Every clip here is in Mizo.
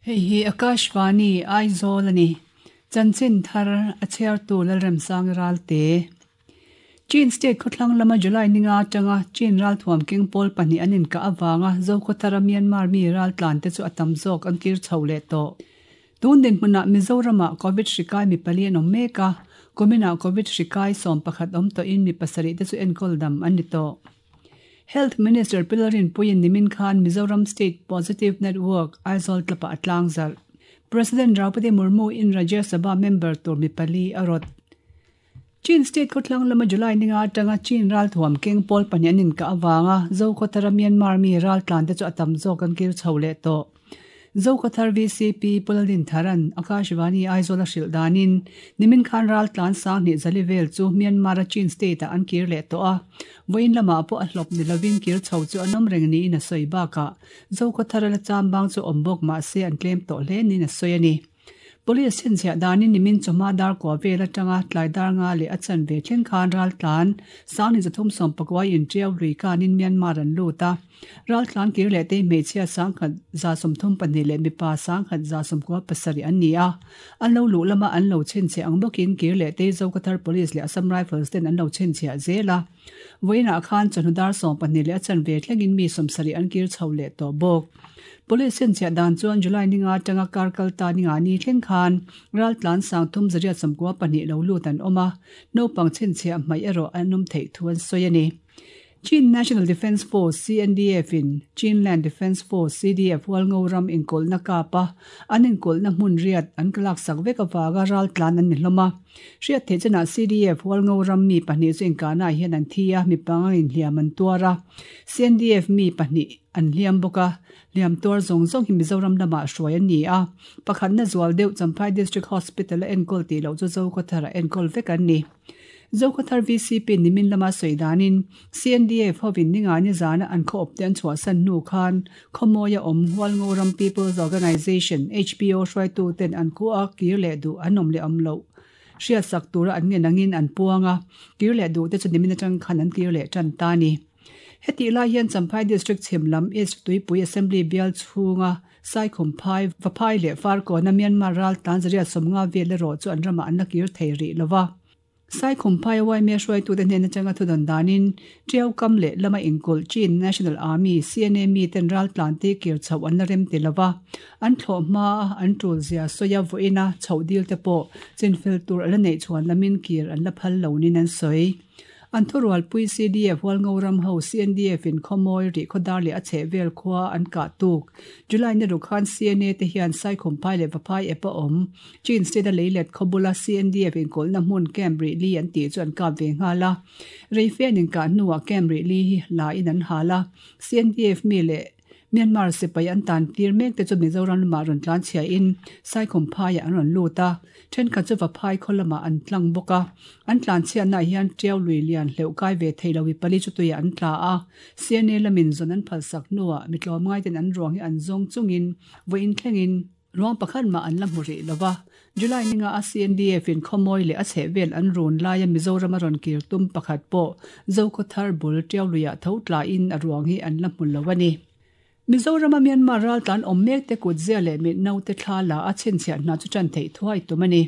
Hei hi Akashvani, Aizawl a ni. Chanchin thar a chhiartu Lalremsang Ralte. Chin State khawthlang lama July ninga atanga Chin ralthuam keng pawl pahnih an inkah avanga Zokhawthara Myanmar mi raltlan te chu a tam zawk an kir chho leh tawh. Tun dinhmunah Mizoramah Covid hri kai mi pali an awm mek a, kuminah Covid hri kai 11 awm tawhin mi pasarih te chu enkawl dam an ni tawh. Health Minister Pi Lalrinpuiin nimin khan Mizoram State Positive Network Aizawl tlapah a tlangzarh. President Draupadi Murmu in Rajya Sabha member tur mi pali a rawt. Chin State khawthlang lama July ninga atanga Chin ralthuam keng pawl pahnih an inkah avanga Zokhawthara Myanmar mi raltlan te chu a tam zawk an kir chho leh tawh. Zokhawthar VCP Pu Lalintharan Akashvani Aizawl a hrilh danin nimin khan raltlan 2000 zali vel chu Myanmar a Chin State ah an kir leh tawh a, vawiin lamah pawh a hlawp ni lovin kir chho chu an awm reng niin a sawi bakah Zokhawthara la chambang chu awm bawk mahse an tlem tawh hle niin a sawi a ni. Police chhinchhiah danin nimin chawhma dar kua vel atanga tlai dar nga leh a chanve thleng khan raltlan 2319 in Tiau lui kanin Myanmar an lut a. Raltlan kir leh te hmeichhia 1132 leh mipa 1197 an ni a. An lo luh lama an lo chhinchhiah ang bawkin kir leh te Zokhawthar Police leh Assam Rifles ten an lo chhinchhiah zel a. Vawiinah khan chawhnu dar 12 leh a chanve thlengin mi 70 an kir chho leh tawh bawk. Police chhinchhiah dan chuan July ninga atanga kar kal ta ninga ni thleng khan raltlan 3392 lo lut an awm a, naupang chhinchhiah hmaih erawh an awm theih thu an sawi a ni. Chin National Defence Force, CNDF, in Chin Land Defence Force, CDF, Hualngo ram inkawlhna kap a, an inkawlhna hmun riat an laksak vek avanga raltlan an ni hlawm a. Hriat theih chinah CDF Hualngo ram mi pahnih chu inkahnaah hian an thi a, mi pangangin hliam an tuar a. CNDF mi pahnih an hliam bawk a, hliam tuar zawng zawng hi Mizoram lamah hruai an ni a. Pakhatna zual deuh Champhai District Hospital a enkawl tih loh chu Zokhawthar-ah enkawl vek an ni. Zokhawthar VCP nimin lama sawi danin CNDF hovin ninga ni zana an khaw awpte an chhuahsan hnu khan Khawmawia awm Hualngoram People's Organisation, HPO, hruaitu ten an khu a kir leh duh an awm leh awm loh hriatsak tura an ngen angin an puang a, kir leh duh te chu nimin atang khan an kir leh tan ta a ni. Hetih lai hian Champhai District chhim lam East Tuipui Assembly bial chhunga Saikhumphai, Vaphai leh Farkawna Myanmar raltlan zariat 50 vel erawh chu an ramah an la kir thei rih lova. Saikhumphai YMA hruaitute hnen atanga thudawn danin Tiau kam leh lama inkawlh Chin National Army, CNA, mi ten raltlan te kir chhoh an la rem ti lova. An thlawh hma a an tul zia sawi a vawiin a chhoh dil te pawh chinfel tur a la neih chhuan lamin kir an la phal lo niin an sawi. An thurualpui CDF Hualngo ram ho CNDF in Khawmawi rih khawdar leh a chhehvel khua an kah tuk. July ni ruk khan CNA te hian Saikhumphai leh Vaphai ep a awm. Chin State a leilet khaw bula CNDF inkawlhna hmun Camp Rihli an tih chu an kap ve nghal a. Reife an inkah hnuah Camp Rihli hi la in an hal a. CNDF mi leh Myanmar sipai an tan tir mek te chu Mizoram lamah rawn tlan chhia in Saikhumphaiah an rawn lut a, thenkhat chu Vaphai khaw lamah an tlang bawk a. An tlan chhiatnaah hian Tiau lui lian hleuh kai ve thei lo mi pali chu tuiah an tla a. CNA lamin zawn an phalsak hnuah mi tlawmngai ten an ruang hi an zawng chungin vawiin thlengin Ruang pakhat mah an la hmu rih lo va, July ninga a CNDF in Khawmawi leh a chhehvel an run laia Mizoram a rawn kir tum pakhat pawh Zokhawthar bul Tiauluiah tho tlaiin a ruang hi an la hmu lo a ni. Mizorama Myanmar raltlan awm mek te kutzia leh mitnaute thla la a chhinchhiah hna chu tan theih thuai tum a ni.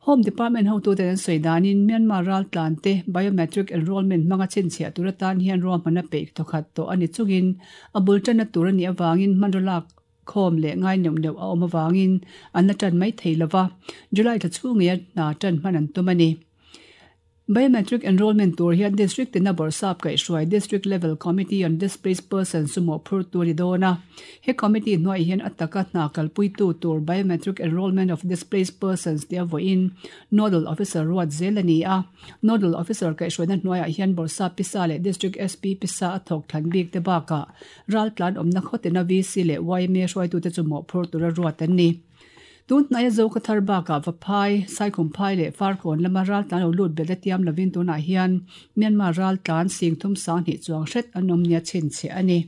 Home Department hotuten an sawi danin Myanmar raltlan te biometric enrollment hmanga chhinchhiah tur atan hian ruahmanna peih thawkhat tawh a ni chungin a bul tanna tur a nih avangin hmanraw lak Khawm leh ngai neuh neuh a awm avangin an la tan mai thei lova, July thla chhung ngeia hna tan hman an tum a ni. Biometric enrollment tur hian District tina bawrhsap kaihhruai District Level Committee on Displaced Persons chu mawhphurtu a ni dawn a. He committee hnuaiah hian a taka hna kalpuitu tur Biometric Enrollment of Displaced Persons tia vawiin Nodal Officer ruat zel a ni a. Nodal Officer kaihhruaina hnuaiah hian bawrhsap pisa leh District SP pisa a thawk thlan bik te bakah Raltlan awmna khawtina VC leh yma hruaitute chu mawhphur tura ruat an ni. Tun hnaia Zokhawthar bakah Vaphai, Saikhumphai leh Farkawn lama raltlan lo lut belh te tiam lovin tunah hian Myanmar raltlan 32,000 chuang hret an awm nia chhinchhiah a ni.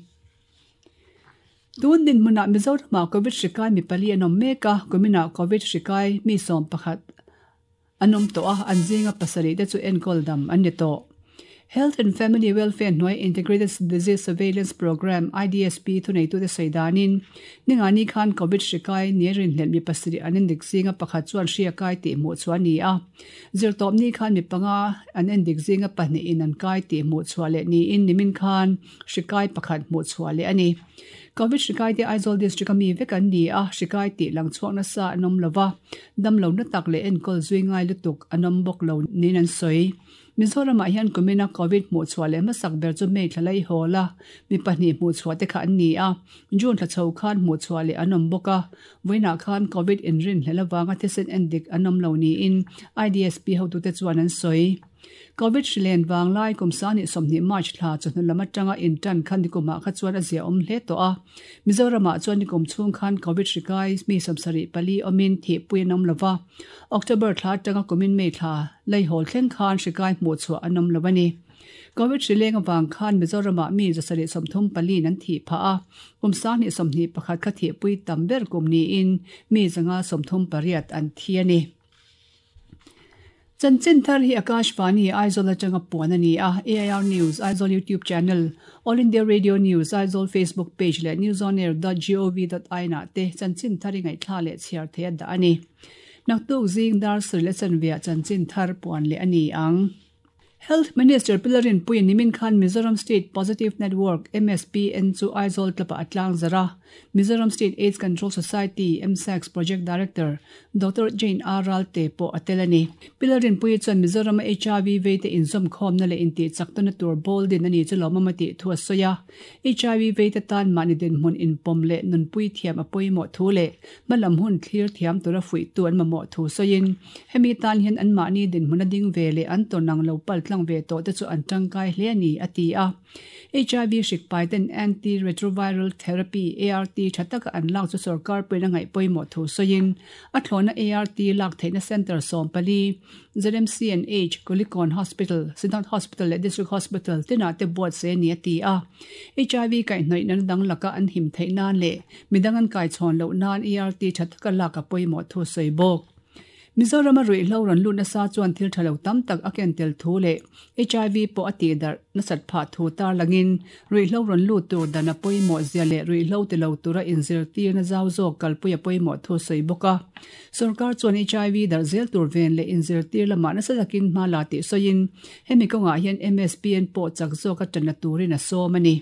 Tun dinhmunah Mizoramah Covid hri kai mi pali an awm mek a, kuminah Covid hri kai mi 11 an awm tawh a, an zinga pasarih te chu enkawl dam an ni tawh. Health and Family Welfare hnuai Integrated Disease Surveillance Programme, IDSP, thuneitute sawi danin, ningani khan Covid hri kai nia rinhlelh mi pasarih an endik zinga pakhat chuan hria kai tih hmuh chhuah a ni a. Zirtawpni khan mi panga an endik zinga pahnihin an kai tih hmuh chhuah leh niin nimin khan hri kai pakhat hmuh chhuah leh a ni. Covid hri kaite Aizawl District a mi vek an ni a, hri kai tih lang chhuak nasa an awm lo va, damlo na tak leh enkawl zui ngai lutuk an awm bawk lo niin an sawi. Mizoramah hian kumina Covid hmuh chhuah leh hmasak ber chu May thla laihawl a, mi pahnih hmuh chhuah te kha an ni a, June thla chho khan hmuh chhuah leh an awm bawk a, vawiinah khan Covid inrinhlelh avanga thisen endik an awm lo niin IDSP hotute chuan an sawi. Covid hri len vang lai kum sangni 20 March thla chawhnu lam atanga intan kha nikumah kha chuan a ziaawm hle tawh a. Mizoramah chuan nikum chhung khan Covid hri kai mi 74 awmin thihpui an awm lo va. October thla atanga kumin May thla laihawl thleng khan hri kai hmuh chhuah an awm lo a ni. Covid hri leng avang khan Mizoramah mi 734 in an thih phah a, kum 2021 kha thihpui tam ber kum niin mi 538 an thi a ni. Chanchin thar hi Akashvani Aizawl atanga puan a ni a, AIR News Aizawl YouTube channel, All India Radio News Aizawl Facebook page leh newsonair.gov.in ah te chanchin thar i ngaihthla leh chhiar thei a dah a ni. Naktuk zing dar sarih leh chanveah chanchin thar puan leh a ni ang. Health Minister Pi Larinpuiin nimin khan Mizoram State Positive Network, MSPN, chu Aizawl tlapah a tlang zarh a. Mizoram State Aids Control Society, MSACS, Project Director, Doctor Jane R. Ralte pawh a tel a ni. Pi Lalrinpuii chuan Mizorama HIV veite inzawmkhawmna leh intihchaktawna tur bawl din a ni chu lawmawm a tih thu a sawi a. HIV veite tan mahni dinhmun inpawm leh nunpui thiam a pawimawh thu leh hmalam hun thlir thiam tura fuihtu an mamawh thu sawiin hemi tan hian anmahni dinhmun a ding ve leh an tawn ang lo pal tlang ve tawh te chu an tangkai hle a ni, a ti a. HIV hrik pai ten Anti-Retroviral Therapy, ART, tha taka an lak chu sorkar pawhin a ngaih pawimawh thu sawiin a thlawhna ART lak theihna centre 14, ZMCNH, Kulikawn Hospital, Synod Hospital leh District Hospital tinah te buatsaih a ni a ti a. HIV kaihhnawih nana dang laka an him theih nan leh midang an kaichhawn loh nan ART tha taka lak a pawimawh thu a sawi bawk. Mizorama ruihhlo rawn lut nasa chuan thil tha lo tam tak a ken tel thu leh HIV pawh a tihdarh nasat phah thu tarlangin ruihhlo rawn lut tur dan a pawimawh zia leh ruihhlo ti lo tura inzirtirna zau zawk kalpui a pawimawh thu a sawi bawk a. Sorkar chuan HIV darh zel tur ven leh inzirtir lamah nasa takin hma la tih sawiin hemi kawngah hian MSPN pawh chak zawka tan la turin a sawm a ni.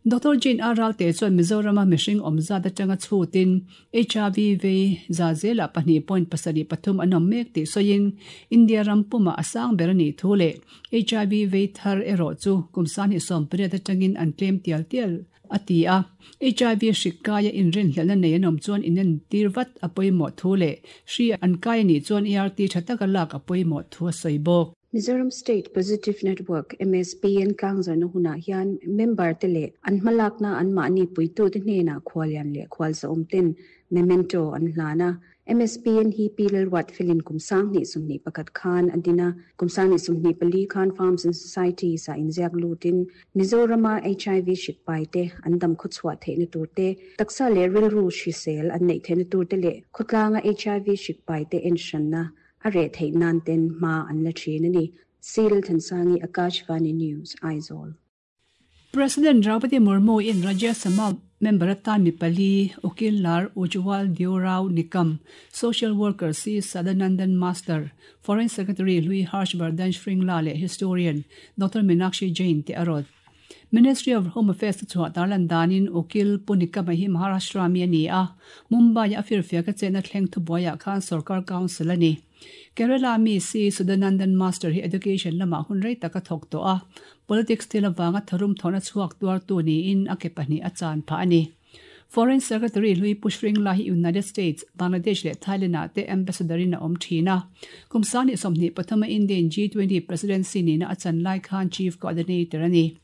Doctor Jane R. Ralte chuan Mizorama mihring awm zat atanga chhutin HIV vei za zelah 2.73 an awm mek tih sawiin India ram pumah a sang ber a nih thu leh HIV vei thar erawh chu kum 2018 atangin an tlem tial tial a ti a. HIV hrik kaia inrinhlelhna nei an awm chuan inentir vat a pawimawh thu leh hri an kai a nih chuan ART tha taka lak a pawimawh thu a sawi bawk. Mizoram State Positive Network, MSPN, tlangzarhna hunah hian member te leh an hmalakna anmahni puitute hnenah khuallian leh khualzahawm ten memento an hlan a. MSPN hi Pi Lalruat Felin kum 2021 khan a din a, kum 2024 khan Farms and Societies ah inziak lutin Mizorama HIV hrik pai te an dam khawchhuah theihna tur te, taksa leh rilru hrisel an neih theihna tur te leh khawtlanga HIV hrik pai te enhranna a reh theih nan ten hma an la thin a ni. C. Lalthansangi, Akashvani News, Aizawl. President Draupadi Murmu in Rajya Sabha member atan mi pali, Ukil Lar Ujjwal Deorao Nikam, Social Worker C. Sadanandan Master, Foreign Secretary Hlui Harsh Vardhan Shringla leh Historian Doctor Meenakshi Jain te a rawt. Ministry of Home Affairs te chhuah tarlan danin Ukil Pu Nikam-a hi Maharashtra mi a ni a, Mumbai-a a firfiak a chetna thleng thubuaiah khan Sarkar Council a ni. Kerala mi C. Sudanandan Master hi education lamah hun rei tak a thawk tawh a, politics thil avanga tharum thawhna chhuak tuartu niin a ke pahnih a chan phah a ni. Foreign Secretary Hlui Pu Shringla hi United States, Bangladesh leh Thailand-ah te ambassador-in a awm thin a. Kum 2023 a Indian G20 Presidency nihna a chan lai khan Chief Coordinator a ni.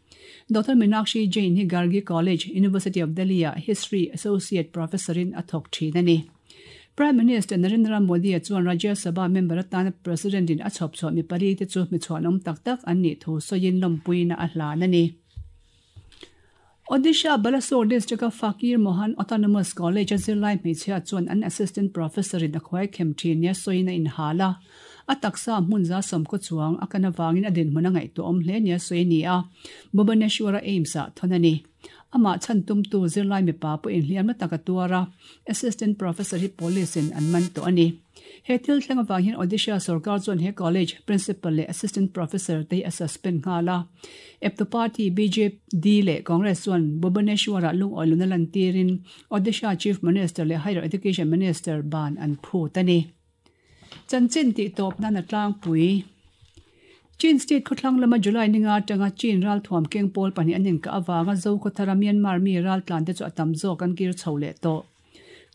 Doctor Meenakshi Jain hi Gargi College, University of Delhi-ah History Associate Professor-in a thawk thin a ni. Prime Minister Narendra Modi-a chuan Rajya Sabha member atana President-in a chhawp chhuah mi pali te chu mi chhuanawm tak tak an nih thu sawiin lawmpuina a hlan a ni. Odisha Balasore District-a Fakir Mohan Autonomous College-a zirlai hmeichhia chuan an Assistant Professor-in a khuai khem thin nia sawiin a inhal a. A taksa hmun 120 chuang a kan avangin a dinhmun a ngaihtuahawm hle nia sawi a ni a, Bhubaneswar-a AIIMS-ah thawn a ni. Amah chhan tumtu zirlai mipa pawh inhliamna tak a tuar a, Assistant Professor hi Police-in an man tawh a ni. He thil thleng avang hian Odisha sorkar chuan he college Principal leh Assistant Professor te hi a suspend nghal a. Eptu party BJD leh Congress chuan Bhubaneswar-ah lungawi luna lantirin Odisha Chief Minister leh Higher Education Minister ban an phut a ni. Chanchin tih tawp nan a tlangpui. Chin State khawthlang lama July ninga atanga Chin ralthuam keng pawl pahnih an inkah avanga Zokhawthara Myanmar mi raltlan te chu a tam zawk an kir chho leh tawh.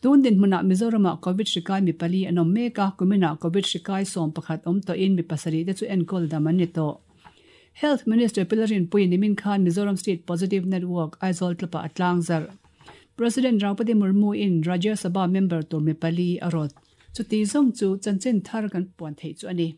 Tun dinhmunah Mizoramah Covid hrikai mi pali an awm mek a, kuminah Covid hrikai 11 awm tawhin mi pasarih te chu enkawl dam an ni tawh. Health Minister Pi Lalrinpuii nimin khan Mizoram State Positive Network Aizawl tlapah a tlangzarh. President Draupadi Murmu in Rajya Sabha member tur mi pali a rawt. Chuti zawng chu chanchin thar kan puan theih chu a ni.